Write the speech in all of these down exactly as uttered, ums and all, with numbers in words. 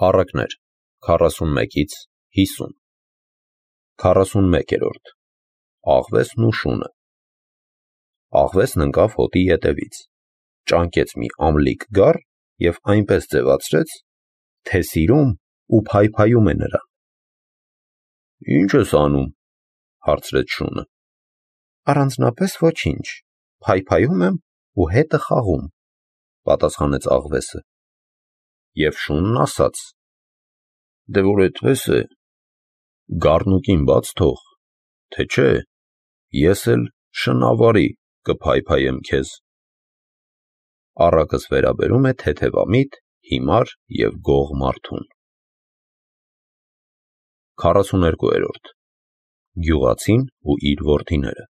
Առակներ քառասունմեկից հիսուն քառասունմեկերորդ Աղվեսն ու շունը Աղվեսն ընկավ հոտի ետևից, ճանկեց մի ամլիկ գառ և այնպես ձևացրեց, թե սիրում ու փայփայում է նրան։ Ի՞նչ ես անում, հարցրեց շունը։ Առանձնապես ոչինչ, փայփայում եմ ու հետը խաղում, պատասխանեց աղվեսը։ Եվ շունն ասաց. Դե որ այդպես է, գառնուկին բաց թող, թե չէ, ես էլ շնավարի կփայփայեմ քեզ։ Առակս վերաբերում է թեթևամիտ, հիմար և գող մարդուն։ քառասուներկուերորդ Գյուղացին ու իր որդիները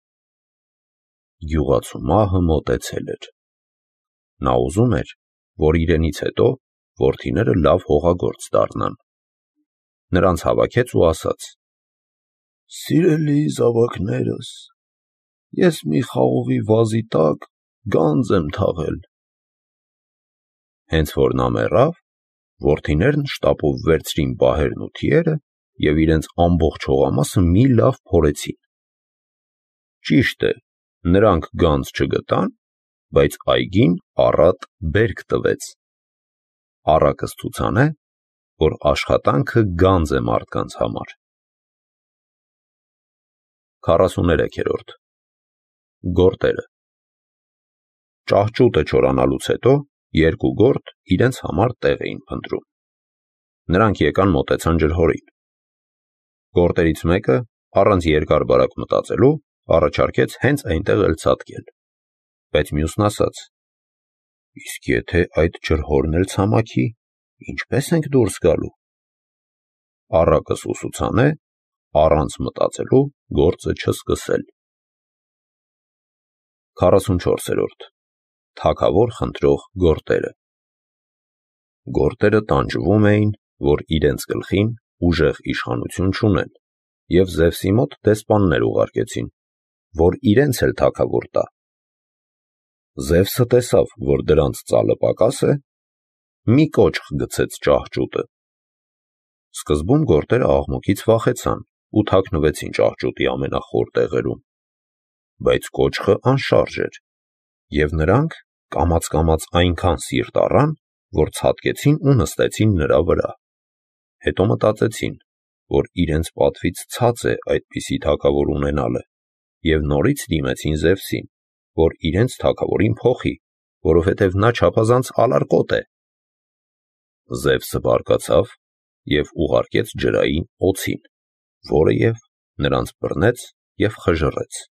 Գյուղացու մահը մոտեցել էր։ Նա ուզում էր, որ իրենից հետո որդիները լավ հողագործ դառնան։ Նրանց հավաքեց ու ասաց. Սիրելի զավակներս, ես մի խաղողի վազի տակ գանձ եմ թաղել։ Հենց որ նա մեռավ, որդիներն շտապով վերցրին պահերն ու թիերը և իրենց ամբողջ հողամասը մի լավ փորեցին։ Ճիշտ է, նրանք գանձ չգտան, բայց այգին առատ բերք տվեց։ Առակս ցուցանե, որ աշխատանքը գանձ է մարդկանց համար։ քառասուներեքերորդ Գորտերը Ճահճուտը չորանալուց հետո երկու գորտ իրենց համար տեղ էին փնտրում։ Նրանք եկան մոտեցան ջրհորին։ Գորտերից մեկը, առանց երկար-բարակ մտածելու, առաջարկեց հենց այնտեղ էլ ցատկել, բայց մյուսն ասաց. Իսկ եթե այդ ջրհորն էլ ցամաքի, ինչպե՞ս ենք դուրս գալու։ Առակս ուսուցանե, առանց մտածելու գործը չսկսել։ քառասունչորսերորդ Թագավոր խնդրող գորտերը Գորտերը տանջվում էին, որ իրենց գլխին ուժեղ իշխանություն չունեն, և Զևսի մոտ դեսպաններ ուղարկեցին, որ իրենց էլ թագավոր տա։ Զևսը տեսավ, որ դրանց ծալը պակաս է, մի կոճղ գցեց ճահճուտը։ Սկզբում գորտերը աղմուկից վախեցան ու թաքնվեցին ճահճուտի ամենախոր տեղերում, բայց կոճղը անշարժ էր, և նրանք կամաց-կամաց այնքան սիրտ առան, որ ցատկեցին ու նստեցին նրա վրա։ Հետո մտածեցին, որ իրենց պատվից ցած է այդպիսի թագավոր ունենալը, և նորից դիմեցին Զևսին, որ իրենց թագավորին փոխի, որովհետև նա չափազանց ալարկոտ է։ Զևսը բարկացավ և ուղարկեց ջրային օձին, որը և նրանց բռնեց և խժռեց։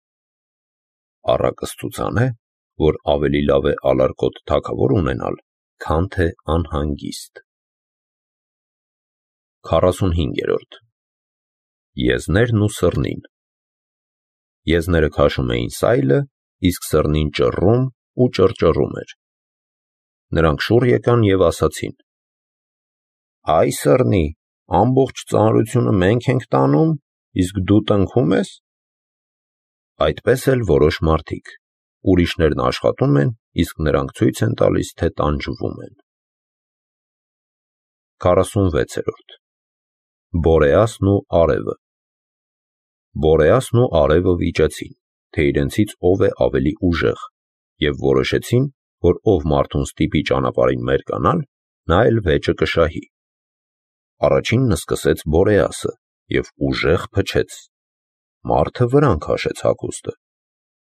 Առակս ցուցանե, որ ավելի լավ է ալարկոտ թագավոր ունենալ, քան թե անհանգիստ։ Քառասունհինգերորդ Եզներն ու սռնին Եզները քաշում էին սայլը, իսկ սռնին ճռռում ու ճռճռում էր։ Նրանք շուռ եկան և ասացին. Այ սռնի, ամբողջ ծանրությունը մենք ենք տանում, իսկ դու տնքում ես։ Այդպես էլ որոշ մարդիկ, ուրիշներն աշխատում են, իսկ նրանք ցույց են տալիս, թե տանջվում են։ Քառասունվեցերորդ Բորեասն ու արևը Բորեասն ու արևը վիճեցին, թե իրենցից ով է ավելի ուժեղ, և որոշեցին, որ ով մարդուն ստիպի ճանապարհին մերկանալ, նա էլ վեճը կշահի։ Առաջինն սկսեց Բորեասը և ուժեղ փչեց։ Մարդը վրան քաշեց հագուստը։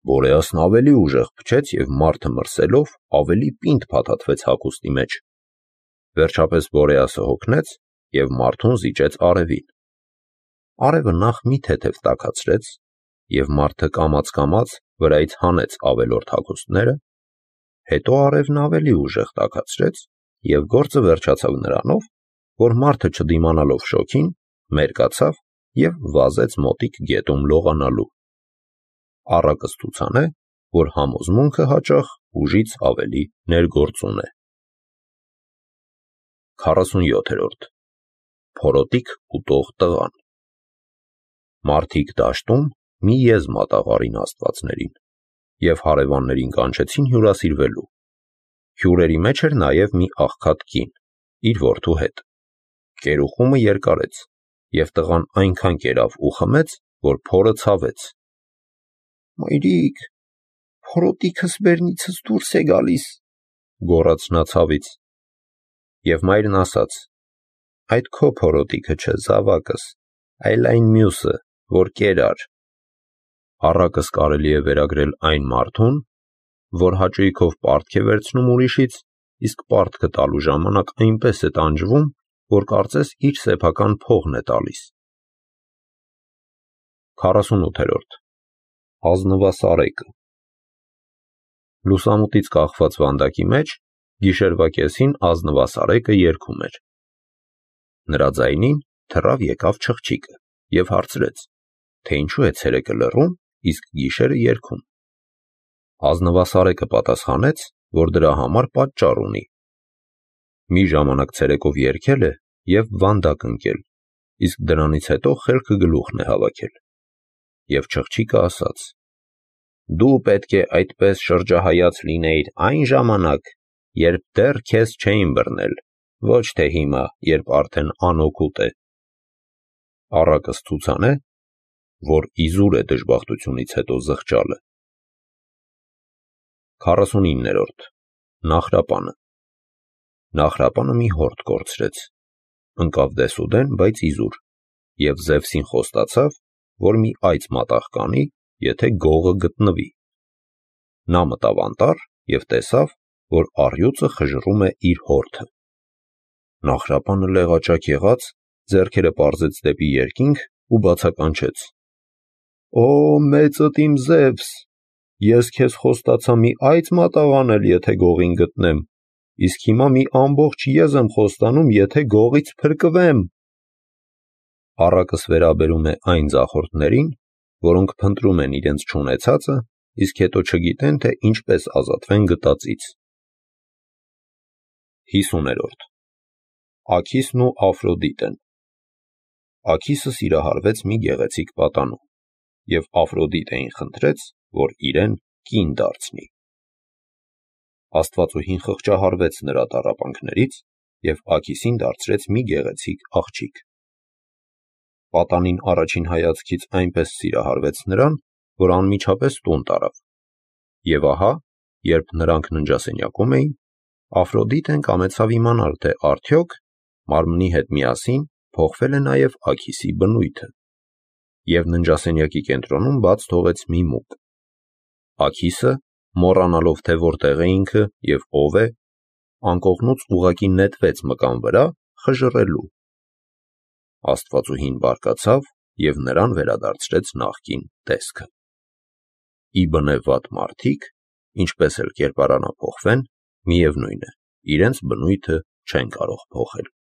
Բորեասն ավելի ուժեղ փչեց և մարդը մրսելով ավելի պինդ փաթաթվեց հագուստի մեջ։ Վերջապես Բորեասը հոգնեց և մարդուն զիջեց արևին։ Արևը նախ մի թեթև տաքացրեց, և մարդը կամաց-կամաց վրայից հանեց ավելորդ հագուստները, հետո արևն ավելի ուժեղ տաքացրեց, և գործը վերջացավ նրանով, որ մարդը չդիմանալով շոգին, մերկացավ և վազեց մոտիկ գետում լողանալու։ Առակս ցուցանե, որ համոզմունքը հաճախ ուժից ավելի ներգործուն է։ Քառասունյոթերորդ Փորոտիք ուտող տղան Մարդիկ դաշտում մի եզ մատաղարին աստվածներին, և հարևաններին կանչեցին հյուրասիրվելու։ Հյուրերի մեջ էր նաև մի աղքատ կին, իր որդու հետ։ Կերուխումը երկարեց, և տղան այնքան կերավ ու խմեց, որ փորը ցավեց։ «Մայրիկ, փորոտիքս բերնիցս դուրս է գալիս», գոռաց նա ցավից։ Եվ մայրն ասաց. «Այդ քո փորոտիքը չէ, զավակս, այլ այն մյուսը, որ կերար»։ Առակս կարելի է վերագրել այն մարդուն, որ հաճույքով պարտք է վերցնում ուրիշից, իսկ պարտքը տալու ժամանակ այնպես է տանջվում, որ կարծես իր սեփական փողն է տալիս։ քառասունութերորդ Ազնվասարեկը։ Լուսամուտից կախված վանդակի մեջ գիշերվա կեսին ազնվասարեկը երգում էր։ Նրա ձայնին թռավ եկավ չղջիկը և հարցրեց, թե ինչու է ցերեկը լռում, իսկ գիշերը երգում։ Ազնվասարեկը պատասխանեց, որ դրա համար պատճառ ունի։ Մի ժամանակ ցերեկով երգել է և վանդակ ընկել, իսկ դրանից հետո խելքը գլուխն է հավաքել։ Եվ չղջիկը ասաց. «Դու պետք է այդպես շրջահայաց լինեիր այն ժամանակ, երբ դեռ քեզ չէին բռնել, ոչ թե հիմա, երբ արդեն անօգուտ է»։ Առակս ցուցանե, որ իզուր է դժբախտությունից հետո զղջալը։ քառասունիններորդ Նախրապանը։ Նախրապանը մի հորդ կորցրեց, ընկավ դեսուդեն, բայց իզուր, և Զևսին խոստացավ, որ մի այծ մատաղ կանի, եթե գողը գտնվի։ Նա մտավ անտառ և տեսավ, որ առյուծը խժռում է իր հորդը։ Նախրապանը լեղաճակ եղած, ձեռքերը պարզեց դեպի երկինք ու բացականչեց. «Օ, մեծդ իմ Զևս, ես քեզ խոստացա մի այծ մատաղ անել, եթե գողին գտնեմ, իսկ հիմա մի ամբողջ եզ եմ խոստանում, եթե գողից փրկվեմ»։ Առակս վերաբերում է այն ձախորդներին, որոնք փնտրում են իրենց չունեցածը, իսկ հետո չգիտեն, թե ինչպես ազատվեն գտածից։ հիսուներորդ Աքիսն ու Աֆրոդիտեն։ Աքիսը սիրահարվեց մի գեղեցիկ պատանու, և Աֆրոդիտեին խնդրեց, որ իրեն կին դարձնի։ Աստվածուհին խղճահարվեց նրա տառապանքներից և Աքիսին դարձրեց մի գեղեցիկ աղջիկ։ Պատանին առաջին հայացքից այնպես սիրահարվեց նրան, որ անմիջապես տուն տարավ։ Եվ ահա, երբ նրանք ննջասենյակում էին, Աֆրոդիտեն կամեցավ իմանալ, թե արդյոք մարմնի հետ միասին փոխվել է նաև Աքիսի բնույթը, և ննջասենյակի կենտրոնում բաց թողեց մի մուկ։ Աքիսը, մոռանալով, թե որտեղ է ինքը և ով է, անկողնուց ուղղակի նետվեց մկան վրա, խժռելու։ Աստվածուհին բարկացավ և նրան վերադարձրեց նախկին տեսքը։ Ի բնե վատ մարդիկ, ինչպես էլ կերպարանափոխվեն, միևնույն է, իրենց բնույթը չեն կարող փոխել։